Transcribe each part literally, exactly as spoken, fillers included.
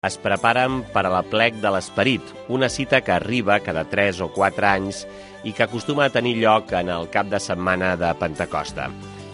Es preparen per a l'Aplec de l'Esperit, una cita que arriba cada tres o quatre anys i que acostuma a tenir lloc en el cap de setmana de Pentecosta.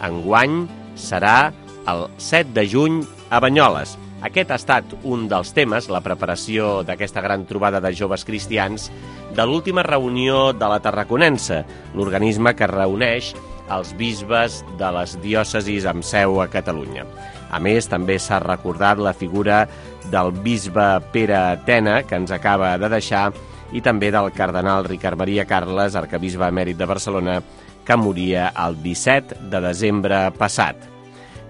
Enguany serà el set de juny a Banyoles. Aquest ha estat un dels temes, la preparació d'aquesta gran trobada de joves cristians, de l'última reunió de la Tarraconense, l'organisme que reuneix els bisbes de les diòcesis amb seu a Catalunya. A més, també s'ha recordat la figura del bisbe Pere Tena, que ens acaba de deixar, i també del cardenal Ricard Maria Carles, arquebisbe emèrit de Barcelona, que moria el disset de desembre passat.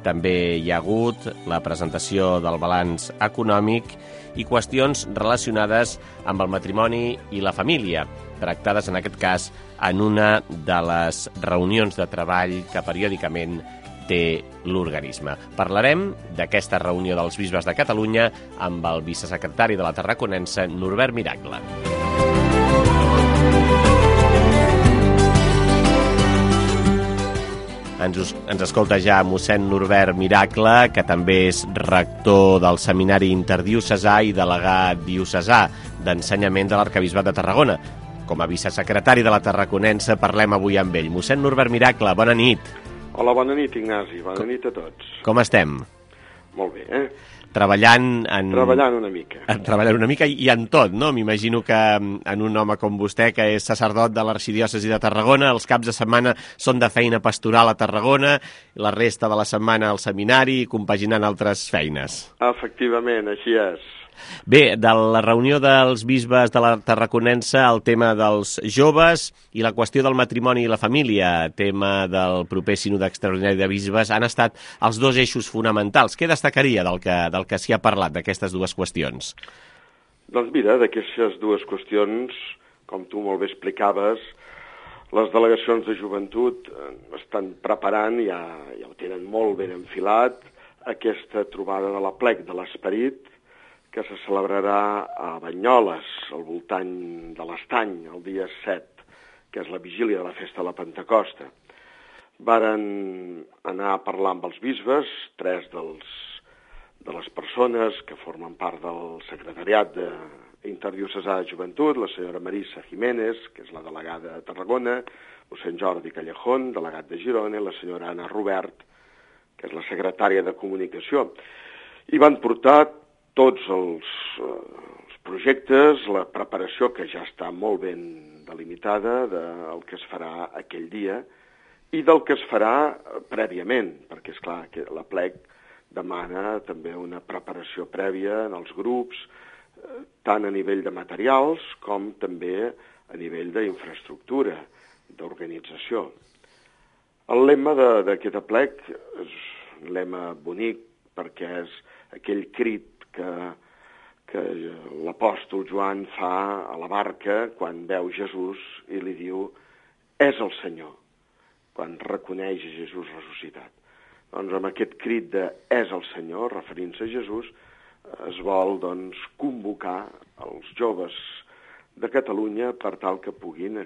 També hi ha hagut la presentació del balanç econòmic i qüestions relacionades amb el matrimoni i la família, tractades en aquest cas en una de les reunions de treball que periòdicament té l'organisme. Parlarem d'aquesta reunió dels bisbes de Catalunya amb el vicesecretari de la Tarraconense, Norbert Miracle. Ens, ens escolta ja mossèn Norbert Miracle, que també és rector del Seminari Interdiocesà i delegat diocesà d'ensenyament de l'Arquebisbat de Tarragona. Com a vicesecretari de la Tarraconense parlem avui amb ell. Mossèn Norbert Miracle, bona nit. Hola, bona nit, Ignasi. Bona com, nit a tots. Com estem? Molt bé, eh? Treballant en... Treballant una mica. Treballant una mica i en tot, no? M'imagino que en un home com vostè, que és sacerdot de l'Arxidiòcesi de Tarragona, els caps de setmana són de feina pastoral a Tarragona, la resta de la setmana al seminari, compaginant altres feines. Efectivament, així és. Bé, de la reunió dels bisbes de la Tarraconense, el tema dels joves i la qüestió del matrimoni i la família, tema del proper sínode extraordinari de bisbes, han estat els dos eixos fonamentals. Què destacaria del que, del que s'hi ha parlat, d'aquestes dues qüestions? Doncs mira, d'aquestes dues qüestions, com tu molt bé explicaves, les delegacions de joventut estan preparant, ja, ja ho tenen molt ben enfilat, aquesta trobada de l'Aplec de l'Esperit, que se celebrarà a Banyoles, al voltant de l'Estany, el dia set, que és la vigília de la festa de la Pentecosta. Varen anar a parlar amb els bisbes, tres dels, de les persones que formen part del secretariat de Interdiocesà de Joventut, la senyora Marisa Jiménez, que és la delegada de Tarragona, mossèn Jordi Callejón, delegat de Girona, i la senyora Anna Robert, que és la secretària de Comunicació. I van portar tots els, els projectes, la preparació que ja està molt ben delimitada del que es farà aquell dia i del que es farà prèviament, perquè és clar que l'Aplec demana també una preparació prèvia en els grups, tant a nivell de materials com també a nivell d'infraestructura, d'organització. El lema d'aquest Aplec és un lema bonic perquè és aquell crit que, que l'apòstol Joan fa a la barca quan veu Jesús i li diu és el Senyor, quan reconeix Jesús ressuscitat. Doncs amb aquest crit de és el Senyor, referint-se a Jesús, es vol doncs, convocar els joves de Catalunya per tal que puguin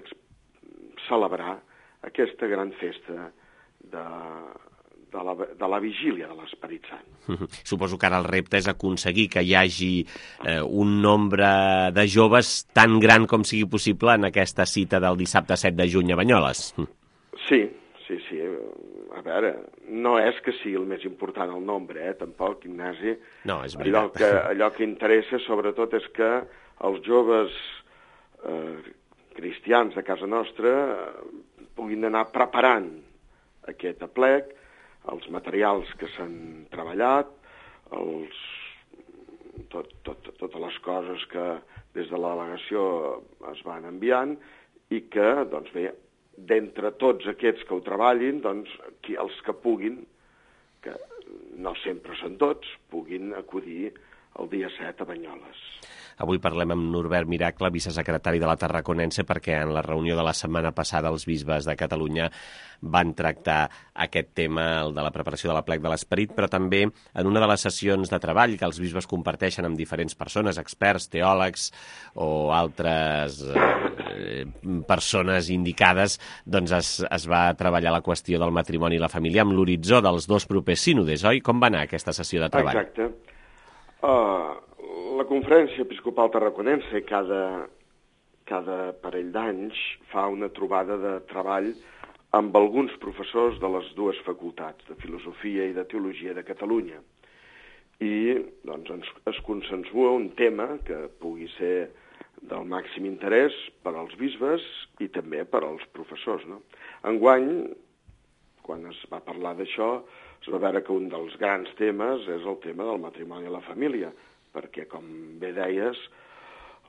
celebrar aquesta gran festa de De la, de la vigília de l'Esperit Sant. Suposo que ara el repte és aconseguir que hi hagi eh, un nombre de joves tan gran com sigui possible en aquesta cita del dissabte set de juny a Banyoles. Sí, sí, sí. A veure, no és que sigui el més important el nombre, eh, tampoc, Ignasi. No, és veritat. Allò que, allò que interessa, sobretot, és que els joves eh, cristians de casa nostra eh, puguin anar preparant aquest aplec, els materials que s'han treballat, els, tot, tot, totes les coses que des de la delegació es van enviant i que, doncs bé, d'entre tots aquests que ho treballin, doncs, qui, els que puguin, que no sempre són tots, puguin acudir el dia set a Banyoles. Avui parlem amb Norbert Miracle, vicesecretari de la Tarraconense, perquè en la reunió de la setmana passada els bisbes de Catalunya van tractar aquest tema, el de la preparació de l'Aplec de l'Esperit, però també en una de les sessions de treball que els bisbes comparteixen amb diferents persones, experts, teòlegs o altres eh, persones indicades, doncs es, es va treballar la qüestió del matrimoni i la família amb l'horitzó dels dos propers sínodes, oi? Com va anar aquesta sessió de treball? Exacte. Uh, la Conferència Episcopal Tarraconense cada, cada parell d'anys fa una trobada de treball amb alguns professors de les dues facultats, de Filosofia i de Teologia de Catalunya. I doncs, ens, es consensua un tema que pugui ser del màxim interès per als bisbes i també per als professors, no? Enguany, quan es va parlar d'això, es va veure que un dels grans temes és el tema del matrimoni i la família, perquè, com bé deies,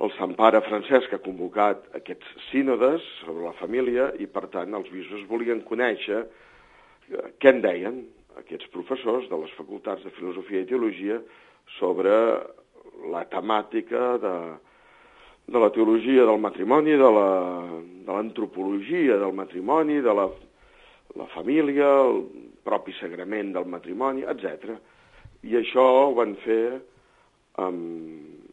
el Sant Pare Francesc ha convocat aquests sínodes sobre la família i, per tant, els bisbes volien conèixer què en deien aquests professors de les facultats de Filosofia i Teologia sobre la temàtica de, de la teologia del matrimoni, de la, de l'antropologia del matrimoni, de la, la família, el propi sagrament del matrimoni, etcètera. I això ho van fer amb,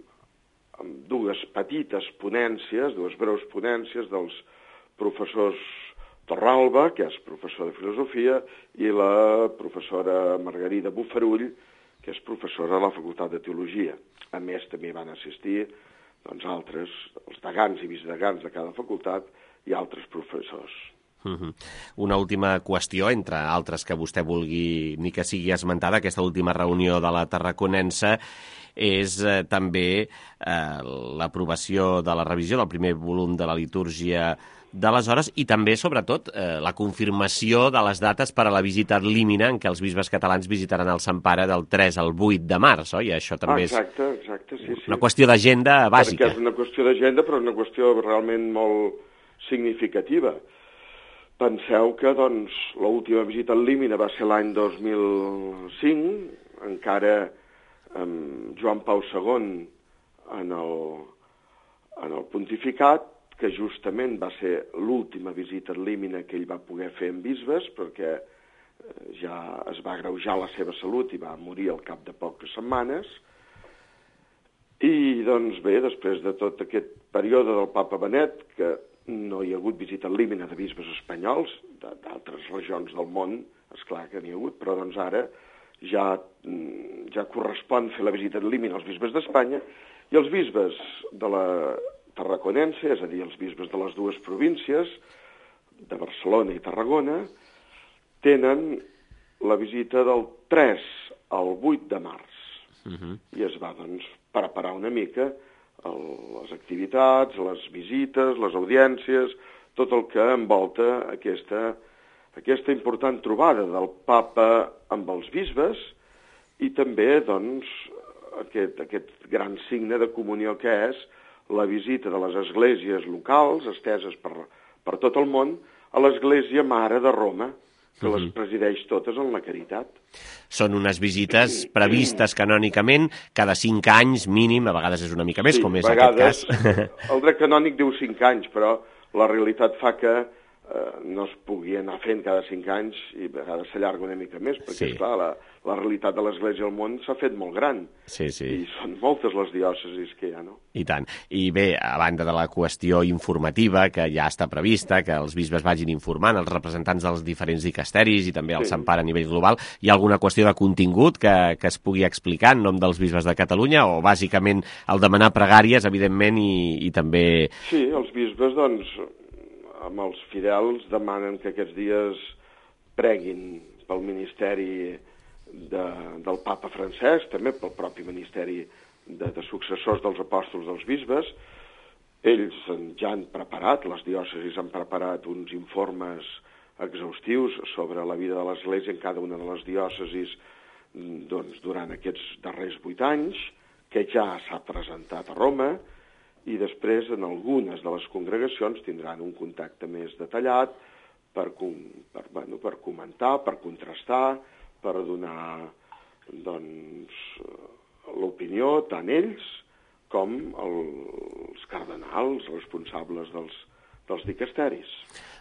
amb dues petites ponències, dues breus ponències dels professors Torralba, que és professor de Filosofia, i la professora Margarida Bufarull, que és professora de la Facultat de Teologia. A més, també van assistir doncs, altres, els degans i vicedegans de cada facultat i altres professors. Uh-huh. Una última qüestió, entre altres que vostè vulgui ni que sigui esmentada, aquesta última reunió de la Tarraconense, és eh, també eh, l'aprovació de la revisió del primer volum de la litúrgia de les hores i també, sobretot, eh, la confirmació de les dates per a la visita ad limina en què els bisbes catalans visitaran el Sant Pare del tres al vuit de març, oi? Això també ah, exacte, exacte, sí, és sí. una qüestió d'agenda bàsica. Perquè és una qüestió d'agenda, però una qüestió realment molt significativa. Penseu que, doncs, l'última visita al límina va ser l'any dos mil cinc, encara amb Joan Pau segon en el, en el pontificat, que justament va ser l'última visita al límina que ell va poder fer amb bisbes, perquè ja es va agreujar la seva salut i va morir al cap de poques setmanes. I, doncs, bé, després de tot aquest període del papa Benet, que no hi ha hagut visita al límina de bisbes espanyols, d'altres regions del món, esclar que n'hi ha hagut, però doncs ara ja, ja correspon fer la visita al límina als bisbes d'Espanya, i els bisbes de la Tarraconense, és a dir, els bisbes de les dues províncies, de Barcelona i Tarragona, tenen la visita del tres al vuit de març. Uh-huh. I es va, doncs, preparar una mica el, les activitats, les visites, les audiències, tot el que envolta aquesta, aquesta important trobada del papa amb els bisbes i també, doncs, aquest, aquest gran signe de comunió que és la visita de les esglésies locals, esteses per, per tot el món, a l'església mare de Roma, que uh-huh. les presideix totes en la caritat. Són unes visites previstes canònicament cada cinc anys mínim, a vegades és una mica més, sí, com és vegades, aquest cas. El dret canònic diu cinc anys, però la realitat fa que eh, no es pugui anar fent cada cinc anys i a vegades s'allarga una mica més, perquè, sí. esclar, la, la realitat de l'Església al món s'ha fet molt gran. Sí, sí. I són moltes les diòcesis que hi ha, no? I tant. I bé, a banda de la qüestió informativa, que ja està prevista, que els bisbes vagin informant, els representants dels diferents dicasteris i també el sí. Sant Pare a nivell global, hi ha alguna qüestió de contingut que, que es pugui explicar en nom dels bisbes de Catalunya, o bàsicament el demanar pregàries, evidentment, i, i també... Sí, els bisbes, doncs, amb els fidels demanen que aquests dies preguin pel ministeri de, del papa Francesc, també pel propi ministeri de, de successors dels apòstols dels bisbes. Ells ja han preparat, les diòcesis han preparat uns informes exhaustius sobre la vida de l'Església en cada una de les diòcesis doncs, durant aquests darrers vuit anys, que ja s'ha presentat a Roma, i després en algunes de les congregacions tindran un contacte més detallat per, per, bueno, per comentar, per contrastar, per donar doncs, l'opinió tant ells com el, els cardenals responsables dels, dels dicasteris.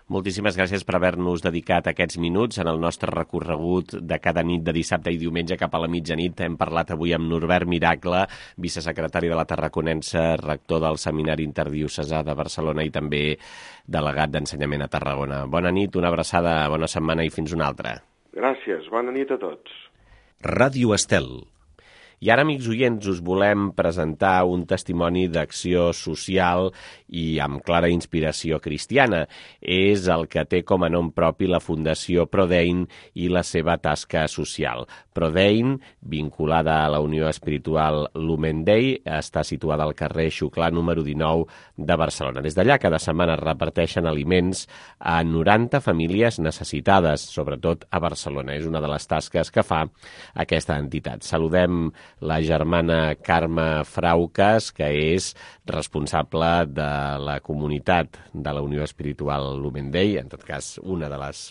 Moltíssimes gràcies per haver-nos dedicat aquests minuts en el nostre recorregut de cada nit de dissabte i diumenge cap a la mitjanit. Hem parlat avui amb Norbert Miracle, vicesecretari de la Tarraconense, rector del Seminari Interdiocesà de Barcelona i també delegat d'ensenyament a Tarragona. Bona nit, una abraçada, bona setmana i fins una altra. Gràcies, bona nit a tots. Ràdio Estel. I ara, amics oients, us volem presentar un testimoni d'acció social i amb clara inspiració cristiana. És el que té com a nom propi la Fundació Prodein i la seva tasca social. Prodein, vinculada a la Unió Espiritual Lumen Dei, està situada al carrer Xuclà número dinou de Barcelona. Des d'allà, cada setmana reparteixen aliments a noranta famílies necessitades, sobretot a Barcelona. És una de les tasques que fa aquesta entitat. Saludem la germana Carme Frauques, que és responsable de la comunitat de la Unió Espiritual Lumen Dei, en tot cas una de les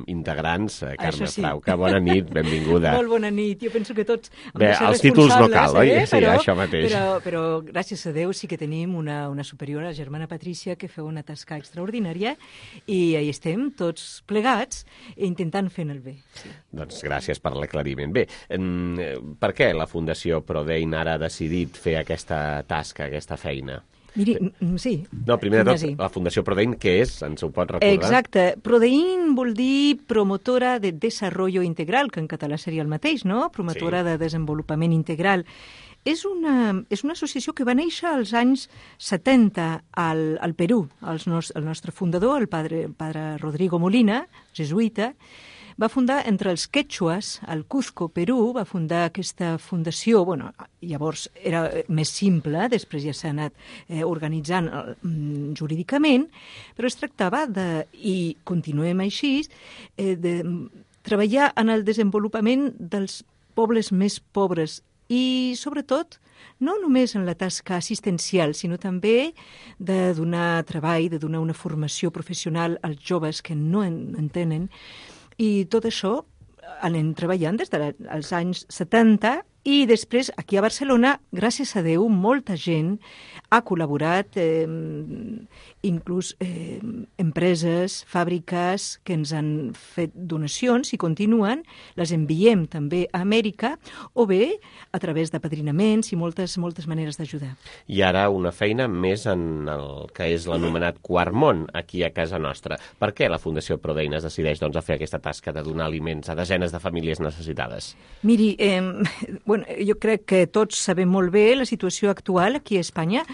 integrants. Carme sí. Frauca, bona nit, benvinguda. Molt bona nit, jo penso que tots hem Bé, de ser els títols no cal, oi? Eh? Sí, però, això mateix. Però, però gràcies a Déu sí que tenim una, una superiora, la germana Patrícia, que feu una tasca extraordinària i hi estem tots plegats intentant fer el bé. Sí. Doncs gràcies per l'aclariment. Bé, per què la Fundació Prodein ara ha decidit fer aquesta tasca, aquesta feina? Miri, sí. No, primer de tot, la Fundació Prodein, què és? Ens ho pot recordar? Exacte. Prodein vol dir promotora de desarrollo integral, que en català seria el mateix, no? Promotora sí. de desenvolupament integral. És una, és una associació que va néixer als anys setanta al, al Perú. El, nos, el nostre fundador, el padre, el padre Rodrigo Molina, jesuïta, va fundar entre els quechuas, al Cuzco, Perú, va fundar aquesta fundació. Bueno, llavors era més simple, després ja s'ha anat eh, organitzant eh, jurídicament, però es tractava de, i continuem així, eh, de treballar en el desenvolupament dels pobles més pobres i, sobretot, no només en la tasca assistencial, sinó també de donar treball, de donar una formació professional als joves que no en, en tenen. I tot això anem treballant des dels anys setanta i després, aquí a Barcelona, gràcies a Déu, molta gent ha col·laborat, eh, inclús eh, empreses, fàbriques que ens han fet donacions i continuen, les enviem també a Amèrica, o bé a través d'apadrinaments i moltes, moltes maneres d'ajudar. I ara una feina més en el que és l'anomenat Quart Món, aquí a casa nostra. Per què la Fundació Prodein es decideix doncs, a fer aquesta tasca de donar aliments a desenes de famílies necessitades? Miri, eh, bueno, jo crec que tots sabem molt bé la situació actual aquí a Espanya,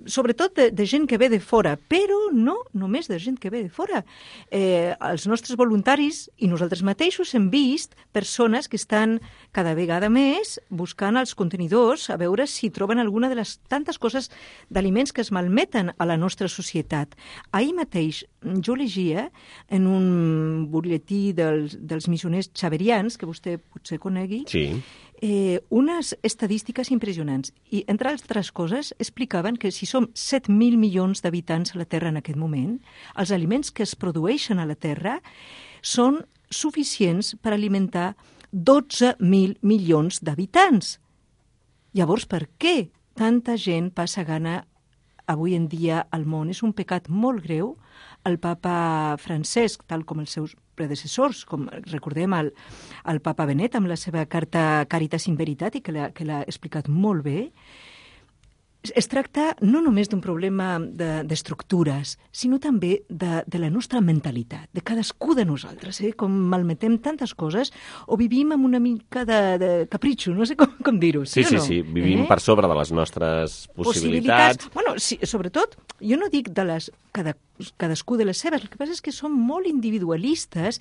sobretot de, de gent que ve de fora, però no només de gent que ve de fora. Eh, els nostres voluntaris i nosaltres mateixos hem vist persones que estan cada vegada més buscant els contenidors a veure si troben alguna de les tantes coses d'aliments que es malmeten a la nostra societat. Ahir mateix jo llegia en un butlletí dels, dels missioners xaverians, que vostè potser conegui, sí. Eh, unes estadístiques impressionants. I, entre altres coses, explicaven que si som set mil milions d'habitants a la Terra en aquest moment, els aliments que es produeixen a la Terra són suficients per alimentar dotze mil milions d'habitants. Llavors, per què tanta gent passa gana avui en dia al món? És un pecat molt greu. El papa Francesc, tal com els seus predecessors, com recordem el, el papa Benet amb la seva carta Caritas in Veritate, que l'ha, que l'ha explicat molt bé, es tracta no només d'un problema d'estructures, de, sinó també de, de la nostra mentalitat, de cadascú de nosaltres, eh? Com malmetem tantes coses o vivim amb una mica de, de capritxo, no sé com, com dir-ho, sí, sí o no? Sí, sí, vivim eh? per sobre de les nostres possibilitats. possibilitats. Bueno, sí, sobretot, jo no dic de les, cada, cadascú de les seves, el que passa és que som molt individualistes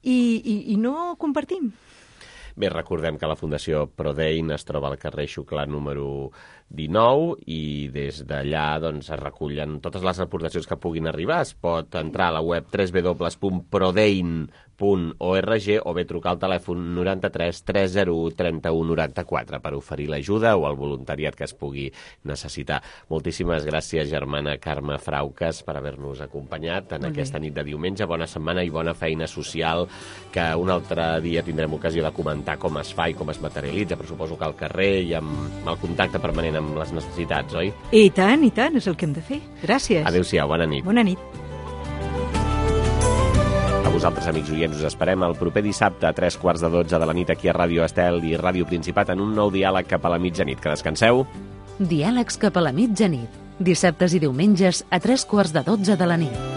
i, i, i no compartim. Bé, recordem que la Fundació Prodein es troba al carrer Xuclà número dinou i des d'allà doncs, es recullen totes les aportacions que puguin arribar. Es pot entrar a la web w w w punt prodein punt org o bé trucar al telèfon noranta-tres tres zero u trenta u noranta-quatre per oferir l'ajuda o el voluntariat que es pugui necessitar. Moltíssimes gràcies, germana Carme Frauques, per haver-nos acompanyat en aquesta nit de diumenge. Bona setmana i bona feina social, que un altre dia tindrem ocasió de comentar com es fa i com es materialitza, però suposo que al carrer i amb el contacte permanent amb les necessitats, oi? I tant, i tant, és el que hem de fer. Gràcies. Adéu-siau, bona nit. Bona nit. A vosaltres, amics oients, us esperem el proper dissabte a tres quarts de dotze de la nit aquí a Ràdio Estel i Ràdio Principat en un nou diàleg cap a la mitjanit. Que descanseu. Diàlegs cap a la mitjanit. Dissabtes i diumenges a tres quarts de dotze de la nit.